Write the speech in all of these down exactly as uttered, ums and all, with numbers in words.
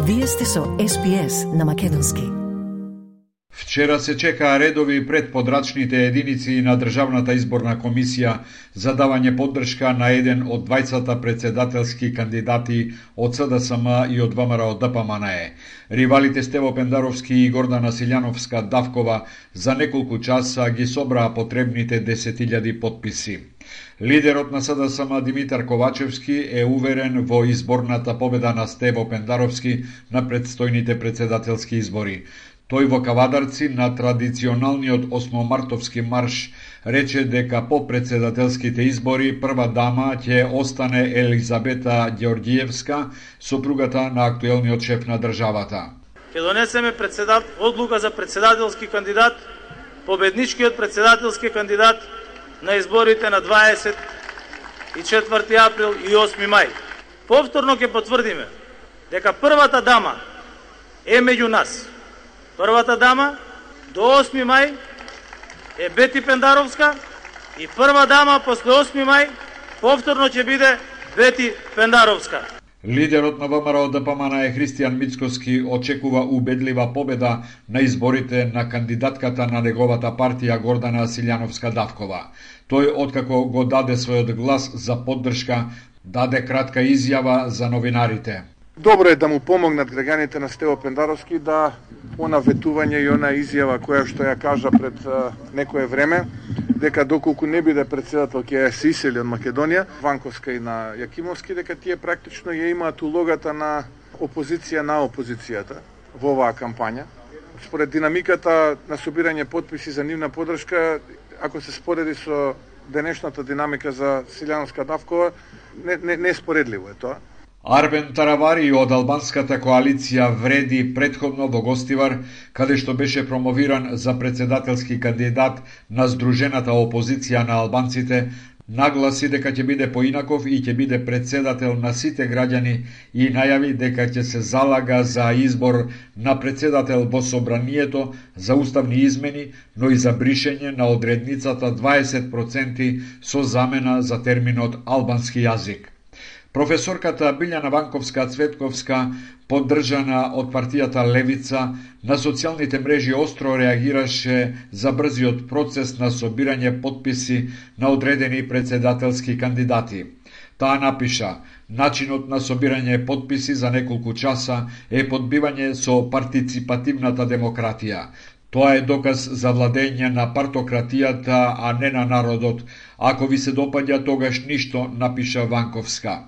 Вие сте со Ес Би Ес на македонски. Вчера се чекаа редови пред подрачните единици на Државната изборна комисија за давање поддршка на еден од двајцата председателски кандидати од С Д С М и од В М Р Д П М Н Е. Ривалите Стево Пендаровски и Гордана Силјановска-Давкова за неколку часа ги собраа потребните десет илјади потписи. Лидерот на С Д С М Димитар Ковачевски е уверен во изборната победа на Стево Пендаровски на предстојните председателски избори. Тој во Кавадарци на традиционалниот осмомартовски марш рече дека по председателските избори прва дама ќе остане Елизабета Ѓеорѓиевска, сопругата на актуелниот шеф на државата. Ќе донесеме председат... одлука за председателски кандидат, победничкиот председателски кандидат на изборите на дваесет и четврти април и осми мај. Повторно ќе потврдиме дека првата дама е меѓу нас. Првата дама до осми мај е Бети Пендаровска и прва дама после осми мај повторно ќе биде Бети Пендаровска. Лидерот на В М Р Д П М Н Е Христијан Мицкоски очекува убедлива победа на изборите на кандидатката на неговата партија Гордана Силјановска-Давкова. Тој, откако го даде својот глас за поддршка, даде кратка изјава за новинарите. Добро е да му помогнат граѓаните на Стево Пендаровски да она ветување и она изјава која што ја кажа пред а, некое време, дека доколку не биде председател ќе се исели од Македонија, Ванковска и на Јакимовски, дека тие практично ја имаат улогата на опозиција на опозицијата во оваа кампања. Според динамиката на собирање потписи за нивна поддршка, ако се спореди со денешната динамика за Силјановска-Давкова, не, не, не споредливо е тоа. Арбен Таравари од албанската коалиција Вреди претходно во Гостивар, каде што беше промовиран за председателски кандидат на Сдружената опозиција на албанците, нагласи дека ќе биде поинаков и ќе биде председател на сите граѓани и најави дека ќе се залага за избор на председател во собранието, за уставни измени, но и за бришење на одредницата дваесет проценти со замена за терминот албански јазик. Професорката Билјана Ванковска-Цветковска, поддржана од партијата Левица, на социјалните мрежи остро реагираше за брзиот процес на собирање потписи на одредени председателски кандидати. Таа напиша: начинот на собирање потписи за неколку часа е подбивање со партиципативната демократија. Тоа е доказ за владење на партократијата, а не на народот. Ако ви се допаѓа, тогаш ништо, напиша Ванковска.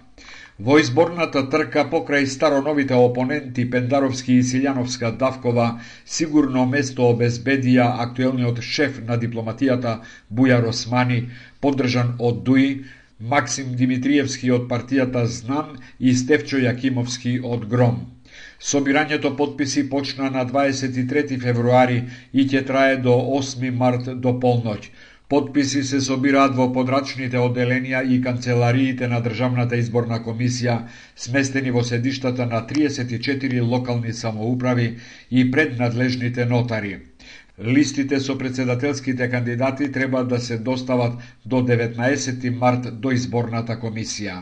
Во изборната трка покрај староновите опоненти Пендаровски и Силјановска-Давкова сигурно место обезбедија актуелниот шеф на дипломатијата Бујар Османи, поддржан од Дуи, Максим Димитриевски од партијата Знан и Стефчо Јакимовски од Гром. Собирањето потписи почна на дваесет и трети февруари и ќе трае до осми март до полноќ. Потписи се собираат во подрачните одделенија и канцелариите на Државната изборна комисија, сместени во седиштата на триесет и четири локални самоуправи и пред надлежните нотари. Листите со председателските кандидати треба да се достават до деветнаесети март до изборната комисија.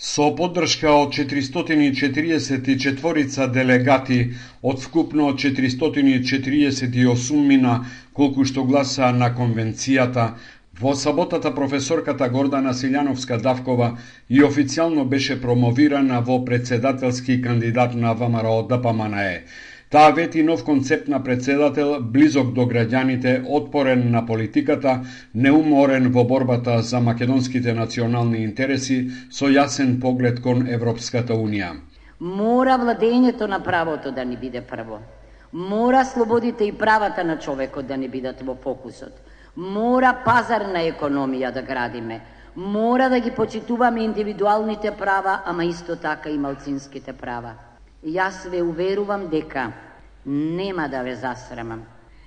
Со поддршка од четиристотини и четириесет и четворица делегати од вкупно четиристотини и четириесет и осумина колку што гласа на конвенцијата, во саботата професорката Гордана Силјановска-Давкова и официјално беше промовирана во председателски кандидат на В М Р Д П М Н Е. Таа вети нов концепт на председател, близок до граѓаните, отпорен на политиката, неуморен во борбата за македонските национални интереси, со јасен поглед кон Европската Унија. Мора владењето на правото да ни биде прво. Мора слободите и правата на човекот да ни бидат во фокусот. Мора пазарна економија да градиме. Мора да ги почитуваме индивидуалните права, ама исто така и малцинските права. Јас ве уверувам дека нема да ве засрамам.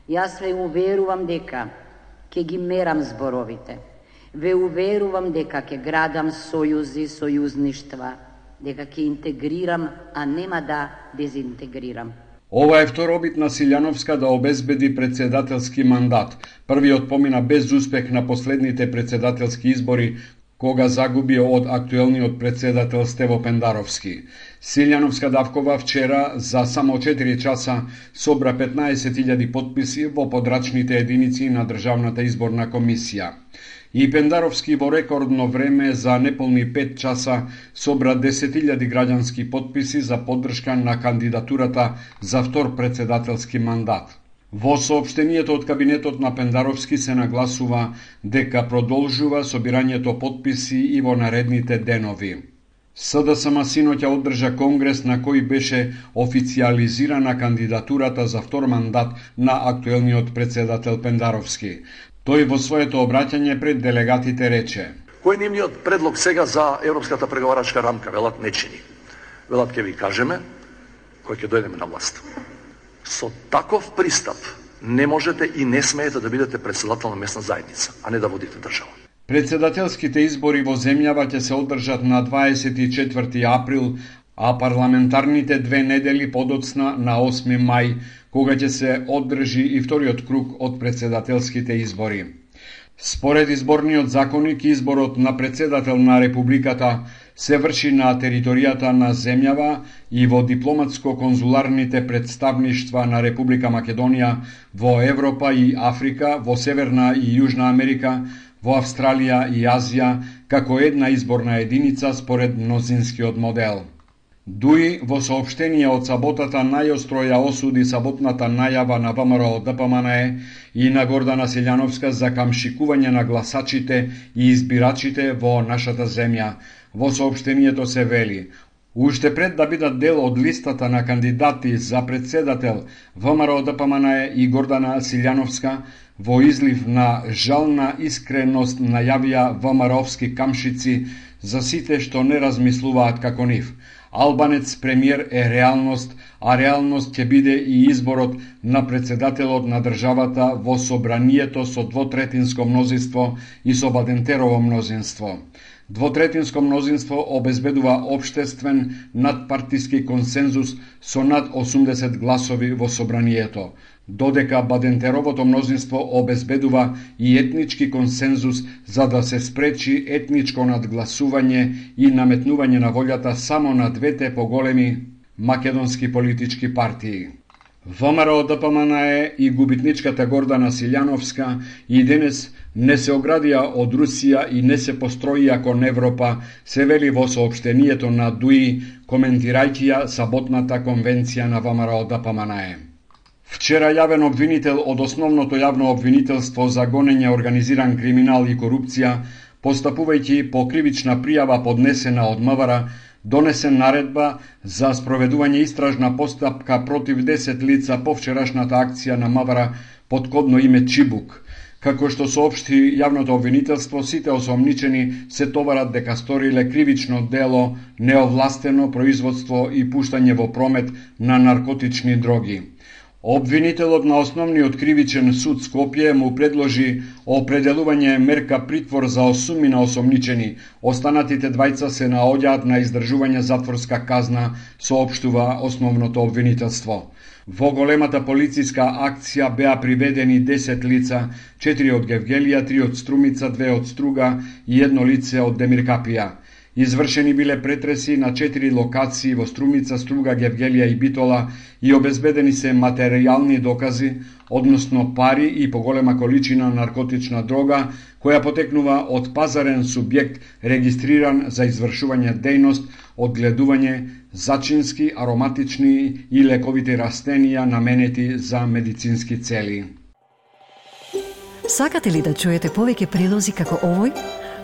Јас ве уверувам дека ќе ги мерам зборовите. Ве уверувам дека ќе градам сојузи, сојузништва, дека ќе интегрирам, а нема да дезинтегрирам. Ова е втор обид на Силјановска да обезбеди председателски мандат. Првиот помина без успех на последните председателски избори, кога загуби од актуелниот председател Стево Пендаровски. Силјановска Давкова вчера за само четири часа собра петнаесет илјади потписи во подрачните единици на Државната изборна комисија. И Пендаровски во рекордно време за неполни пет часа собра десет илјади граѓански потписи за поддршка на кандидатурата за втор председателски мандат. Во соопштенијето од кабинетот на Пендаровски се нагласува дека продолжува собирањето потписи и во наредните денови. СДСМ синоќа одржа конгрес на кој беше официализирана кандидатурата за втор мандат на актуелниот председател Пендаровски. Тој во своето обраќање пред делегатите рече: Кој е нивниот предлог сега за европската преговарачка рамка? Велат не чини. Велат ќе ви кажеме кој ќе дојдеме на власт. Со таков пристап не можете и не смеете да бидете председател на местна заедница, а не да водите држава. Председателските избори во земјава ќе се одржат на дваесет и четврти април, а парламентарните две недели подоцна на осми мај, кога ќе се одржи и вториот круг од председателските избори. Според изборниот законник, изборот на председател на Републиката се врши на територијата на земјава и во дипломатско-конзуларните представништва на Република Македонија во Европа и Африка, во Северна и Јужна Америка, во Австралија и Азија, како една изборна единица според мнозинскиот модел. ДУИ во соопштение од саботата најостро ја осуди саботната најава на ВМРО Д П М Н Е и на Гордана Силјановска за камшикување на гласачите и избирачите во нашата земја. Во соопштението се вели: уште пред да бидат дел од листата на кандидати за председател, ВМРО Д П М Н Е и Гордана Силјановска во излив на жална искреност најавија ВМРО-вски камшици за сите што не размислуваат како нив. Албанец премиер е реалност, а реалност ќе биде и изборот на председателот на државата во собранието со двотретинско мнозинство и со Бадентерово мнозинство. Двотретинско мнозинство обезбедува општествен надпартиски консензус со над осумдесет гласови во собранието, додека Бадентеровото мнозинство обезбедува и етнички консензус за да се спречи етничко надгласување и наметнување на волјата само на двете поголеми македонски политички партии. ВМРО Д П М Н Е и губитничката Гордана Силјановска и денес не се оградија од Русија и не се построија кон Европа, се вели во соопштението на ДУИ, коментирајќи ја саботната конвенција на ВМРО Д П М Н Е. Вчера јавен обвинител од основното јавно обвинителство за гонење организиран криминал и корупција, постапувајќи по кривична пријава поднесена од МВР, донесе наредба за спроведување истражна постапка против десет лица по вчерашната акција на МВР под кодно име Чибук. Како што соопшти јавното обвинителство, сите осомничени се товарат дека сториле кривично дело, неовластено производство и пуштање во промет на наркотични дроги. Обвинителот на основниот кривичен суд Скопје му предложи определување мерка притвор за осумина осомничени. Останатите двајца се наоѓаат на издржување затворска казна, соопштува основното обвинителство. Во големата полициска акција беа приведени десет лица, четири од Гевгелија, три од Струмица, две од Струга и едно лице од Демиркапија. Извршени биле претреси на четири локации во Струмица, Струга, Гевгелија и Битола и обезбедени се материјални докази, односно пари и поголема количина наркотична дрога, која потекнува од пазарен субјект регистриран за извршување дејност, одгледување зачински, ароматични и лековити растенија наменети за медицински цели. Сакате ли да чуете повеќе прилози како овој?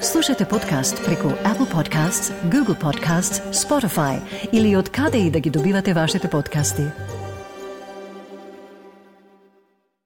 Слушате подкаст преку Apple Podcasts, Google Podcasts, Spotify или од каде и да ги добивате вашите подкасти.